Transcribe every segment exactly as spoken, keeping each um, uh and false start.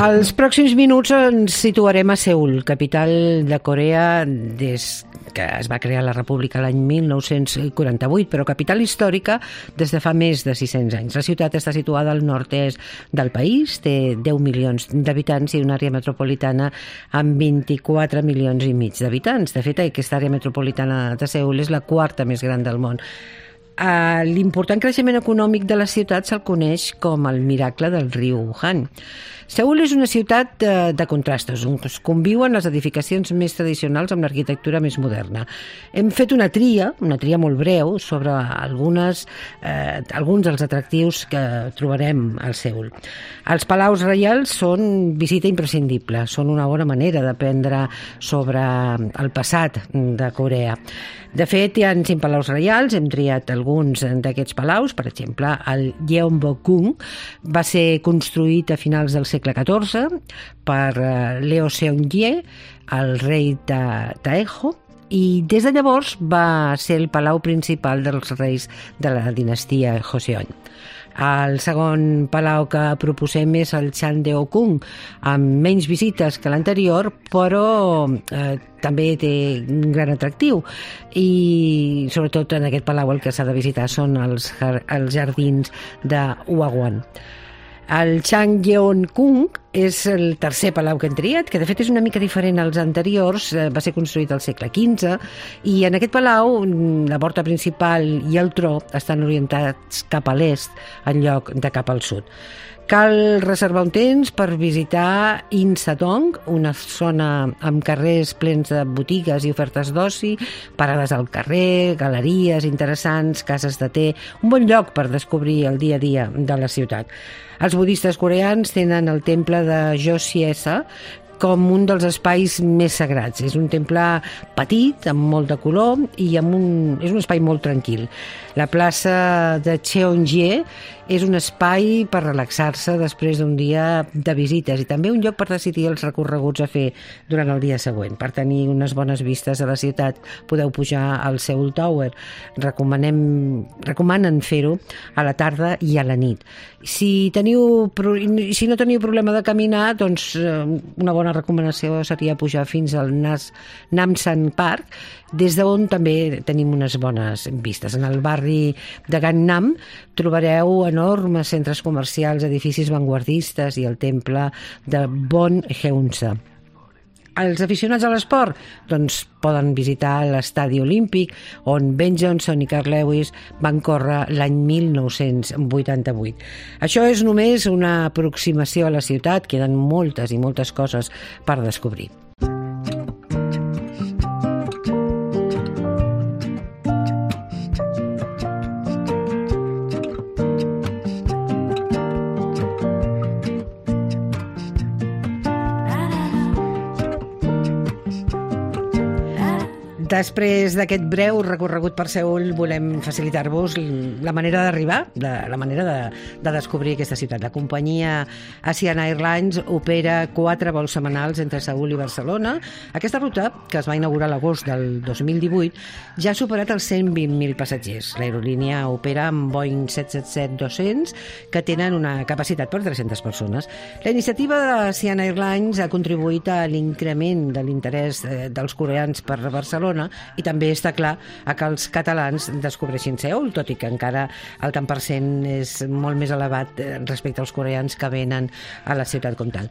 Als pròxims minuts ens situarem a Seül, capital de Corea des que es va crear la República l'any mil nou-cents quaranta-vuit, però capital històrica des de fa més de sis-cents anys. La ciutat està situada al nord-est del país, té deu milions d'habitants i una àrea metropolitana amb vint-i-quatre milions i mig d'habitants. De fet, aquesta àrea metropolitana de Seül és la quarta més gran del món. Uh, l'important creixement econòmic de la ciutat se'l coneix com el miracle del riu Han. Seül és una ciutat de, de contrastos, on es conviuen les edificacions més tradicionals amb l'arquitectura més moderna. Hem fet una tria, una tria molt breu, sobre algunes, eh, alguns dels atractius que trobarem al Seül. Els palaus reials són visita imprescindible, són una bona manera d'aprendre sobre el passat de Corea. De fet, hi ha cinc palaus reials, hem triat alguns d'aquests palaus, per exemple, el Gyeongbokgung va ser construït a finals del segle catorze per Leo Seung-gye, el rei de Taejo, i des de llavors va ser el palau principal dels reis de la dinastia Joseon. El segon palau que proposem és el Chandeokgung, amb menys visites que l'anterior, però eh, també té un gran atractiu. I sobretot en aquest palau el que s'ha de visitar són els, els jardins de Hwagwon. El Changgyeonkgung és el tercer palau que hem triat, que de fet és una mica diferent als anteriors, va ser construït al segle quinze, i en aquest palau la porta principal i el tro estan orientats cap a l'est en lloc de cap al sud. Cal reservar un temps per visitar Insadong, una zona amb carrers plens de botigues i ofertes d'oci, parades al carrer, galeries interessants, cases de te, un bon lloc per descobrir el dia a dia de la ciutat. Els budistes coreans tenen el temple de Joseon com un dels espais més sagrats. És un temple petit, amb molt de color, i amb un, és un espai molt tranquil. La plaça de Cheonggye és un espai per relaxar-se després d'un dia de visites i també un lloc per decidir els recorreguts a fer durant el dia següent. Per tenir unes bones vistes a la ciutat podeu pujar al Seoul Tower. Recomanem, recomanen fer-ho a la tarda i a la nit. Si, teniu, si no teniu problema de caminar, doncs una bona recomanació seria pujar fins al Nas, Namsan Park, des d'on també tenim unes bones vistes. En el barri de Gangnam trobareu enormes centres comercials, edificis vanguardistes i el temple de Bonheunsa. Els aficionats a l'esport doncs poden visitar l'estadi olímpic on Ben Johnson i Carl Lewis van córrer l'any mil nou-cents vuitanta-vuit. Això és només una aproximació a la ciutat, queden moltes i moltes coses per descobrir. Després d'aquest breu recorregut per Seül, volem facilitar-vos la manera d'arribar, la manera de, de descobrir aquesta ciutat. La companyia Asian Airlines opera quatre vols setmanals entre Seül i Barcelona. Aquesta ruta, que es va inaugurar a l'agost del dos mil divuit, ja ha superat els cent vint mil passatgers. L'aerolínia opera amb Boeing set set set dos-cents, que tenen una capacitat per tres-centes persones. La iniciativa d'Asian Airlines ha contribuït a l'increment de l'interès dels coreans per Barcelona i també està clar que els catalans descobreixin Seül, tot i que encara el tant per cent és molt més elevat respecte als coreans que venen a la ciutat com tal.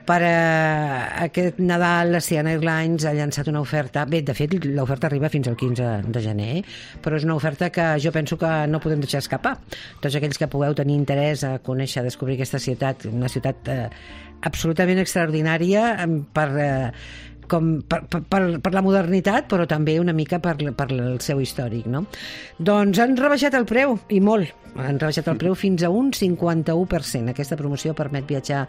Per a aquest Nadal, Asian Airlines ha llançat una oferta, bé, de fet, l'oferta arriba fins al quinze de gener, però és una oferta que jo penso que no podem deixar escapar. Tots aquells que pugueu tenir interès a conèixer, a descobrir aquesta ciutat, una ciutat eh, absolutament extraordinària per... Eh, com per, per, per la modernitat, però també una mica per, per el seu històric, no? Doncs han rebaixat el preu, i molt. Han rebaixat el preu fins a un cinquanta-u per cent. Aquesta promoció permet viatjar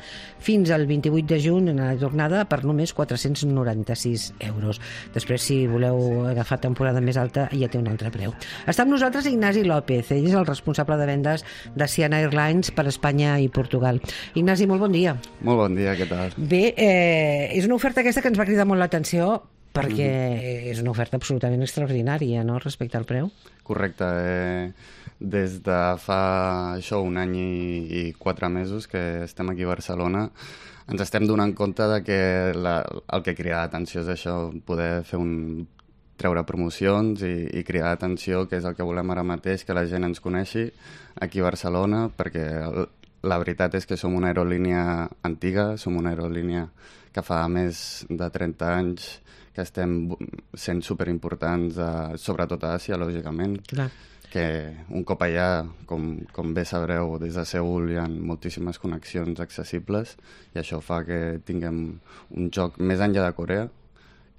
fins al vint-i-vuit de juny en la jornada per només quatre-cents noranta-sis euros. Després, si voleu agafar temporada més alta, ja té un altre preu. Està amb nosaltres Ignasi López. Ell és el responsable de vendes d'Asian Airlines per Espanya i Portugal. Ignasi, molt bon dia. Molt bon dia, què tal? Bé, eh, és una oferta aquesta que ens va cridar molt l'atenció perquè mm-hmm. és una oferta absolutament extraordinària, no?, respecte al preu. Correcte. Eh, des de fa això un any i, i quatre mesos que estem aquí a Barcelona, ens estem donant compte de que la, el que crida l'atenció és això, poder fer un, treure promocions i, i cridar l'atenció, que és el que volem ara mateix, que la gent ens coneixi aquí a Barcelona, perquè el, la veritat és que som una aerolínia antiga, som una aerolínia que fa més de trenta anys que estem sent superimportants, a, sobretot a Àsia, lògicament. Clar. Que un cop allà, com, com bé sabreu, des de Seül hi ha moltíssimes connexions accessibles i això fa que tinguem un joc més enllà de Corea,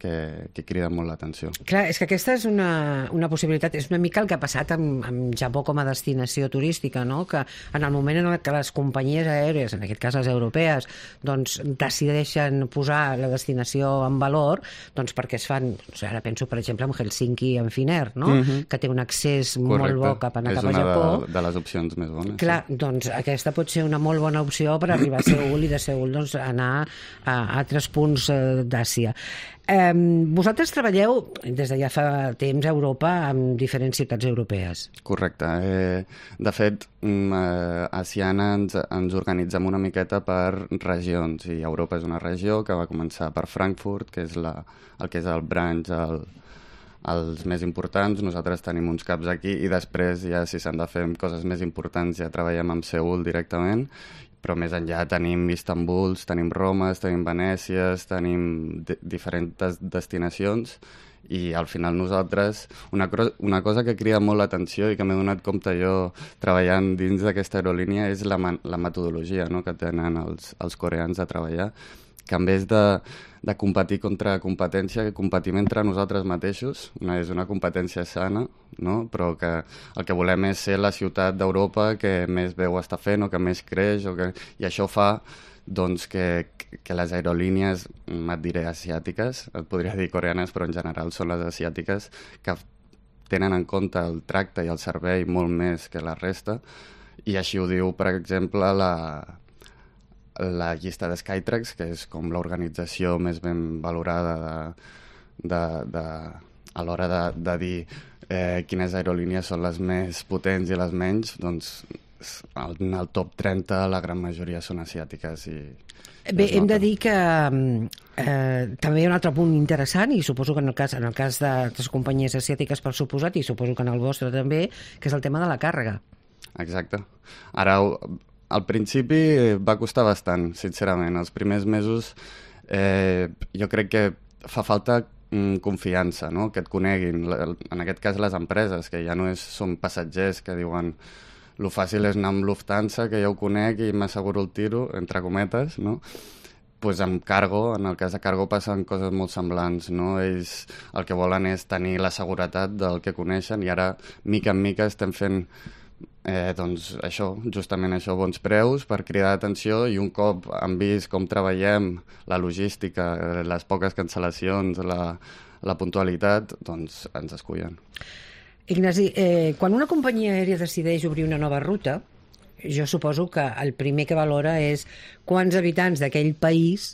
que, que crida molt l'atenció. Clar, és que aquesta és una, una possibilitat, és una mica el que ha passat amb, amb Japó com a destinació turística, no?, que en el moment en què les companyies aèries, en aquest cas les europees, doncs decideixen posar la destinació en valor, doncs perquè es fan, o sigui, ara penso per exemple en Helsinki i en Finnair, no?, mm-hmm. que té un accés Correcte. molt bo cap a, anar cap a Japó. És una de, de les opcions més bones. Clar, sí. Doncs aquesta pot ser una molt bona opció per arribar a Seül i de Seül doncs, anar a altres punts d'Àsia. Eh, vosaltres treballeu des de ja fa temps a Europa amb diferents ciutats europees. Correcte. Eh, de fet, eh, a Siana ens, ens organitzem una miqueta per regions i Europa és una regió que va començar per Frankfurt, que és la, el que és el branch, el, els més importants. Nosaltres tenim uns caps aquí i després ja si s'han de fer coses més importants ja treballem amb Seül directament, però més enllà tenim Istanbul, tenim Roma, tenim Venècia, tenim di- diferents destinacions i al final nosaltres, una, cro- una cosa que crida molt l'atenció i que m'he donat compte jo treballant dins d'aquesta aerolínia és la, man- la metodologia, no?, que tenen els, els coreans de treballar, que en vez de, de competir contra competència, que competim entre nosaltres mateixos, una, és una competència sana, no?, però que el que volem és ser la ciutat d'Europa que més bé ho està fent o que més creix, o que, i això fa doncs, que, que les aerolínies, et diré asiàtiques, et podria dir coreanes, però en general són les asiàtiques, que tenen en compte el tracte i el servei molt més que la resta, i així ho diu, per exemple, la... la llista de Skytrax, que és com l'organització més ben valorada de, de, de, a l'hora de, de dir eh, quines aerolínies són les més potents i les menys, doncs en el top trenta la gran majoria són asiàtiques. I, Bé, hem de dir que eh, també hi ha un altre punt interessant, i suposo que en el cas, en el cas de les companyies asiàtiques per suposat, i suposo que en el vostre també, que és el tema de la càrrega. Exacte. Ara... Al principi va costar bastant, sincerament. Els primers mesos eh, jo crec que fa falta mm, confiança, no?, que et coneguin. En aquest cas les empreses, que ja no és, són passatgers que diuen lo fàcil és anar amb Lufthansa, que ja ho conec i m'asseguro el tiro, entre cometes, no? Pues amb Cargo, en el cas de Cargo passen coses molt semblants, no? Ells el que volen és tenir la seguretat del que coneixen i ara, mica en mica, estem fent Eh, doncs això, justament això, bons preus per cridar l'atenció, i un cop han vist com treballem, la logística, les poques cancel·lacions, la, la puntualitat, doncs ens escullen. Ignasi, eh, quan una companyia aèria decideix obrir una nova ruta, jo suposo que el primer que valora és quants habitants d'aquell país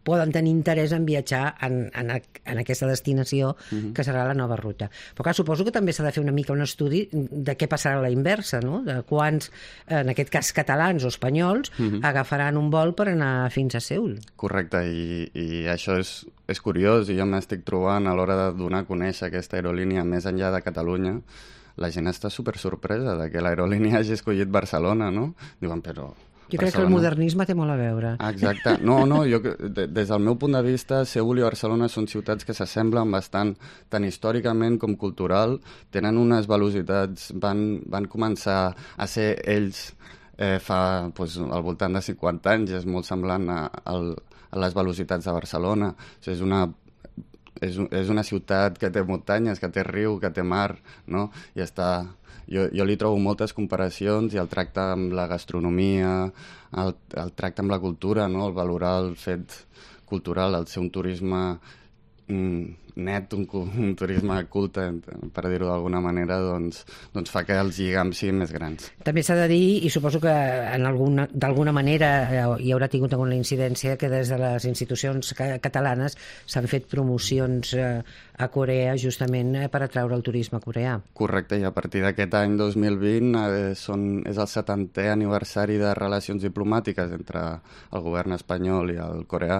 poden tenir interès en viatjar en, en, en aquesta destinació uh-huh. que serà la nova ruta. Però clar, suposo que també s'ha de fer una mica un estudi de què passarà a la inversa, no?, de quants, en aquest cas catalans o espanyols, uh-huh. agafaran un vol per anar fins a Seül. Correcte, i, i això és, és curiós, i jo m'estic trobant a l'hora de donar a conèixer aquesta aerolínia més enllà de Catalunya. La gent està super sorpresa de que l'aerolínia hagi escollit Barcelona, no? Diuen, però... Jo crec que el modernisme té molt a veure. Exacte. No, no, jo, des del meu punt de vista, Seül i Barcelona són ciutats que s'assemblen bastant, tant històricament com cultural, tenen unes velocitats, van, van començar a ser ells eh, fa pues, al voltant de cinquanta anys, és molt semblant a, a, a les velocitats de Barcelona. O sigui, és una és, és una ciutat que té muntanyes, que té riu, que té mar, no? I està... Jo, jo li trobo moltes comparacions, i el tracte amb la gastronomia, el, el tracte amb la cultura, no? El valorar el fet cultural, el ser un turisme mm, net, un, un turisme culte, per dir-ho d'alguna manera, doncs, doncs fa que els lligams siguin més grans. També s'ha de dir, i suposo que d'alguna manera hi haurà tingut alguna incidència, que des de les institucions catalanes s'han fet promocions a Corea justament per atraure el turisme coreà. Correcte, i a partir d'aquest any dos mil vint eh, són, és el setantè aniversari de relacions diplomàtiques entre el govern espanyol i el coreà,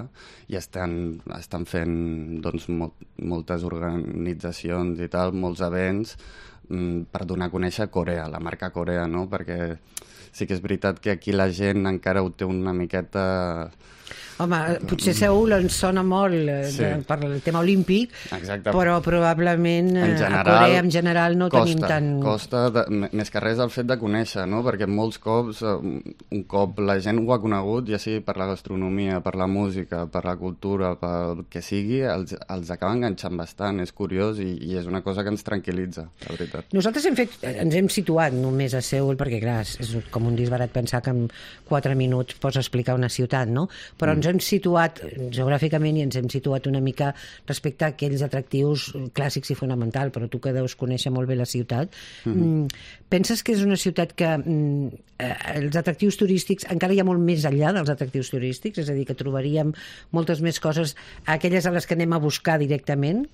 i estan, estan fent doncs, molt, moltes organitzacions i tal, molts events mm, per donar a conèixer Corea, la marca Corea, no? Perquè sí que és veritat que aquí la gent encara ho té una miqueta... Home, potser Seül ens sona molt sí. de, per el tema olímpic, exacte. Però probablement en general, a Corea en general no costa, tenim tant... Costa, de, més que res el fet de conèixer, no? Perquè molts cops, un cop la gent ho ha conegut, ja sigui per la gastronomia, per la música, per la cultura, pel que sigui, els, els acaba enganxant bastant, és curiós i, i és una cosa que ens tranquil·litza, la veritat. Nosaltres hem fet, ens hem situat només a Seül, perquè clar, és com un disbarat pensar que en quatre minuts pots explicar una ciutat, no? Però mm. ens hem situat geogràficament i ens hem situat una mica respecte a aquells atractius clàssics i fonamental, però tu que deus conèixer molt bé la ciutat, mm-hmm. penses que és una ciutat que mm, els atractius turístics encara hi ha molt més enllà dels atractius turístics, és a dir, que trobaríem moltes més coses, aquelles a les que anem a buscar directament?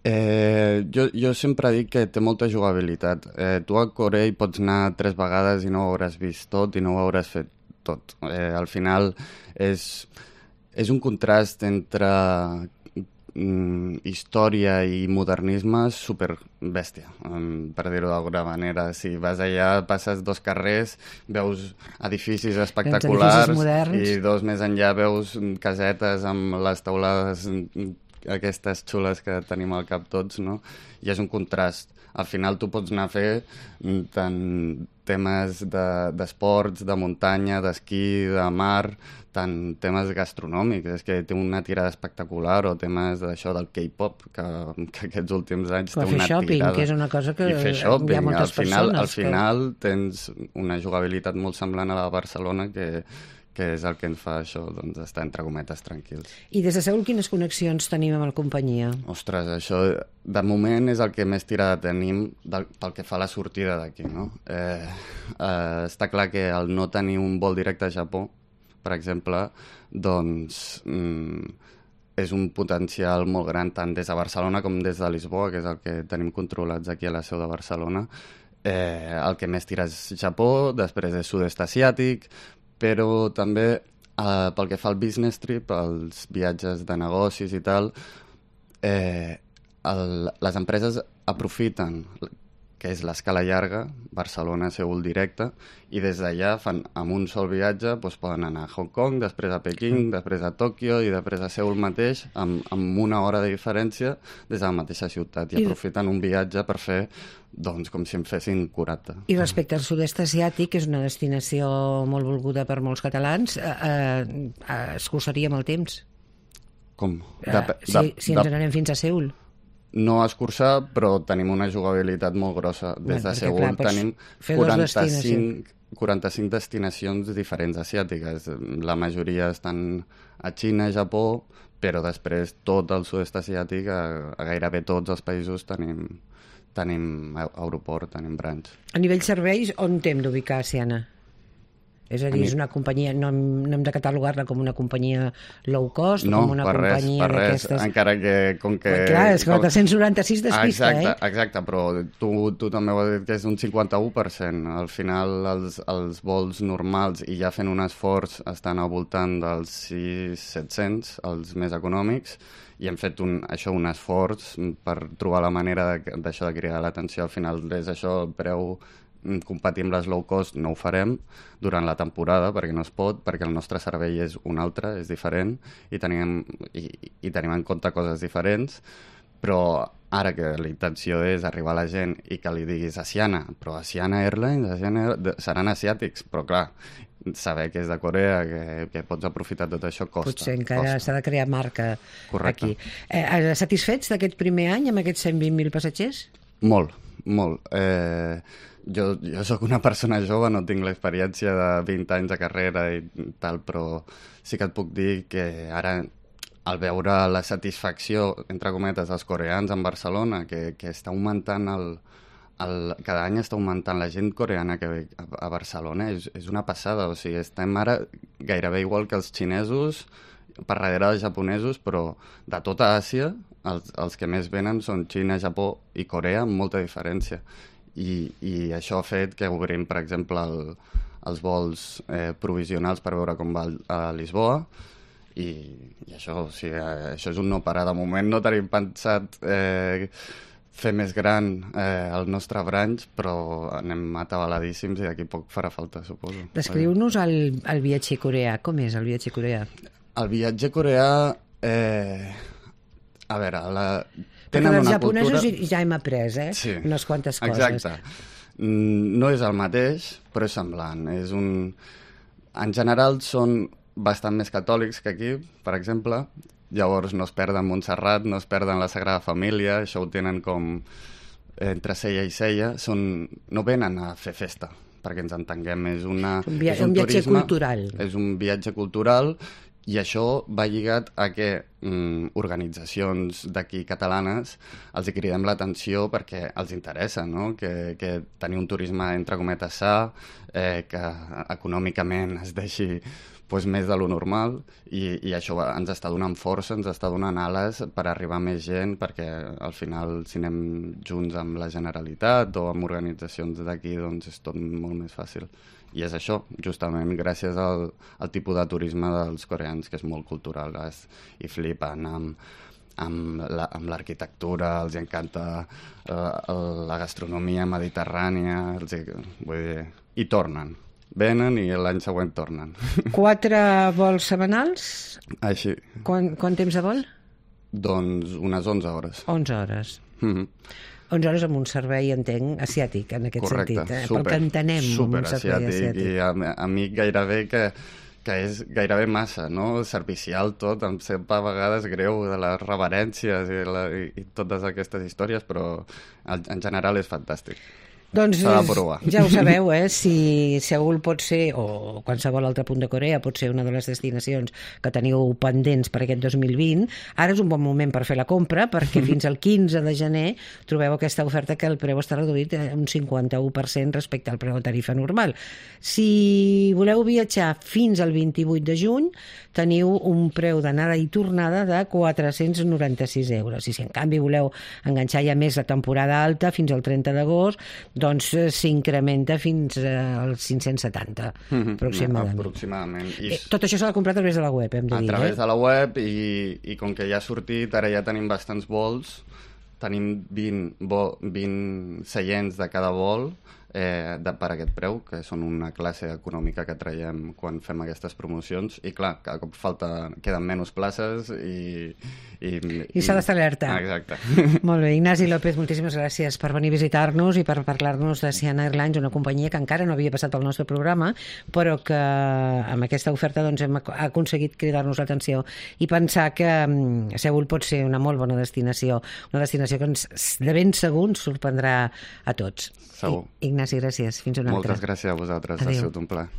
Eh, jo, jo sempre dic que té molta jugabilitat. Eh, tu a Corea hi pots anar tres vegades i no ho hauràs vist tot i no ho hauràs fet tot. Eh, al final és, és un contrast entre mm, història i modernisme super bèstia, um, per dir-ho d'alguna manera. Si vas allà, passes dos carrers, veus edificis espectaculars edificis i dos més enllà veus casetes amb les teulades aquestes xules que tenim al cap tots, no? I és un contrast. Al final tu pots anar a fer tant temes d'esports, de, de muntanya, d'esquí, de mar, tant temes gastronòmics, és que té una tirada espectacular, o temes d'això del K-pop, que, que aquests últims anys té una shopping, tirada. Que és una cosa que I fer shopping, hi ha moltes al final, persones. Al final que... tens una jugabilitat molt semblant a la de Barcelona que que és el que ens fa això, doncs, estar entre cometes tranquils. I des de Seül quines connexions tenim amb la companyia? Ostres, això de moment és el que més tirada tenim del, pel que fa a la sortida d'aquí, no? Eh, eh, està clar que al no tenir un vol directe a Japó, per exemple, doncs mm, és un potencial molt gran tant des de Barcelona com des de Lisboa, que és el que tenim controlats aquí a la seu de Barcelona. Eh, el que més tira és Japó, després és sud-est asiàtic, però també eh, pel que fa al business trip, els viatges de negocis i tal, eh, el, les empreses aprofiten que és l'escala llarga, Barcelona, Seül directe, i des d'allà fan amb un sol viatge, doncs poden anar a Hong Kong, després a Pequín, després a Tòquio i després a Seül mateix, amb, amb una hora de diferència des de la mateixa ciutat, i, I aprofiten un viatge per fer doncs com si en fessin quaranta. I respecte al sud-est asiàtic, que és una destinació molt volguda per molts catalans, eh, eh, es cursaria amb el temps? Com? De, uh, si, de, si ens de... n'anem fins a Seül? No escurçar, però tenim una jugabilitat molt grossa. Des de Seül tenim quaranta-cinc, quaranta-cinc destinacions diferents asiàtiques. La majoria estan a Xina, Japó, però després tot el sud-est asiàtic, a, a gairebé tots els països tenim, tenim aeroport, tenim branch. A nivell serveis, on t'hem d'ubicar, Siana? És a dir, és una companyia, no hem, no hem de catalogar-la com una companyia low cost, no, com una per companyia res, per res, encara que... Com que clar, és que quatre-cents noranta-sis despista, exacte, eh? Exacte, però tu, tu també ho has dit que és un cinquanta-u per cent. Al final, els, els vols normals, i ja fent un esforç, estan al voltant dels sis mil set-cents, els més econòmics, i hem fet un, això un esforç per trobar la manera d'això de, de cridar l'atenció. Al final, és això, el preu competir amb les low cost no ho farem durant la temporada perquè no es pot, perquè el nostre servei és un altre, és diferent i tenim, i, i tenim en compte coses diferents, però ara que la intenció és arribar a la gent i que li diguis Asiana, però Asiana Airlines, Asiana Airlines seran asiàtics, però clar, saber que és de Corea, que, que pots aprofitar tot això costa. Potser encara s'ha de crear marca. Correcte. Aquí. Eh, satisfets d'aquest primer any amb aquests cent vint mil passatgers? Molt, molt. Eh, jo, jo sóc una persona jove, no tinc l'experiència de vint anys de carrera i tal, però sí que et puc dir que ara al veure la satisfacció, entre cometes, dels coreans en Barcelona, que, que està augmentant el, el... Cada any està augmentant la gent coreana que ve a, a Barcelona, és, és una passada, o sigui, estem ara gairebé igual que els xinesos, per darrere dels japonesos, però de tota Àsia, els, els que més venen són Xina, Japó i Corea, amb molta diferència. I, i això ha fet que obrim, per exemple, el, els vols eh, provisionals per veure com va a Lisboa, i, i això, o sigui, això és un no parar. De moment no tenim pensat eh, fer més gran eh, el nostre branch, però anem atabaladíssims i d'aquí poc farà falta, suposo. Descriu-nos el, el viatge coreà. Com és el viatge coreà? El viatge coreà... Eh, a veure, la... Perquè dels japonesos cultura... ja hem après, eh? Sí, unes quantes coses. Exacte. No és el mateix, però és semblant. És un... En general són bastant més catòlics que aquí, per exemple. Llavors no es perden Montserrat, no es perden la Sagrada Família, això ho tenen com entre ceia i ceia. Són... No venen a fer festa, perquè ens entenguem. És, una... un, via... és un, un viatge turisme, cultural. És un viatge cultural i això va lligat a que mm, organitzacions d'aquí catalanes els hi cridem l'atenció perquè els interessa, no? Que, que tenir un turisme entre cometes sa, eh, que econòmicament es deixi pues, més de lo normal i, i això ens està donant força, ens està donant ales per arribar a més gent, perquè al final si anem junts amb la Generalitat o amb organitzacions d'aquí doncs és tot molt més fàcil. I és això, justament gràcies al, al tipus de turisme dels coreans, que és molt cultural, es, i flipen amb, amb, la, amb l'arquitectura, els encanta uh, la gastronomia mediterrània, els, vull dir, i tornen. Venen i l'any següent tornen. Quatre vols setmanals? Així. Quant, quant temps de vol? Doncs unes onze hores. onze hores. Mm-hmm. onze hores amb un servei, entenc, asiàtic, en aquest Correcte, sentit. Eh? Super, Pel que entenem, super un servei asiàtic. asiàtic. I a, a mi gairebé que, que és gairebé massa, no? Servicial tot, em sembla a vegades greu de les reverències i, la, i, i totes aquestes històries, però en general és fantàstic. Doncs s'ha de provar. Ja ho sabeu, eh? Si Seül pot ser, o qualsevol altre punt de Corea, pot ser una de les destinacions que teniu pendents per aquest dos mil vint, ara és un bon moment per fer la compra, perquè fins al quinze de gener trobeu aquesta oferta que el preu està reduït un cinquanta-u per cent respecte al preu de tarifa normal. Si voleu viatjar fins al vint-i-vuit de juny, teniu un preu d'anada i tornada de quatre-cents noranta-sis euros. I si en canvi voleu enganxar ja més la temporada alta, fins al trenta d'agost, doncs s'incrementa fins als cinc-cents setanta, mm-hmm, aproximadament. aproximadament. I... Eh, tot això s'ha de comprar a través de la web, hem de a dir. A través eh? de la web, i, i com que ja ha sortit, ara ja tenim bastants vols, tenim vint, vo, vint seients de cada vol, eh, de, per aquest preu, que són una classe econòmica que traiem quan fem aquestes promocions, i clar, cada cop falta, queden menys places i... I, I s'ha d'estar alerta. Ah, exacte. Molt bé, Ignasi López, moltíssimes gràcies per venir a visitar-nos i per parlar-nos de Siana Airlines, una companyia que encara no havia passat pel nostre programa, però que amb aquesta oferta doncs, hem aconseguit cridar-nos l'atenció i pensar que um, Seül pot ser una molt bona destinació, una destinació que ens, de ben segur ens sorprendrà a tots. Segur. I, Ignasi, gràcies. Fins una altra. Moltes gràcies a vosaltres, Adéu. ha sigut un plaer.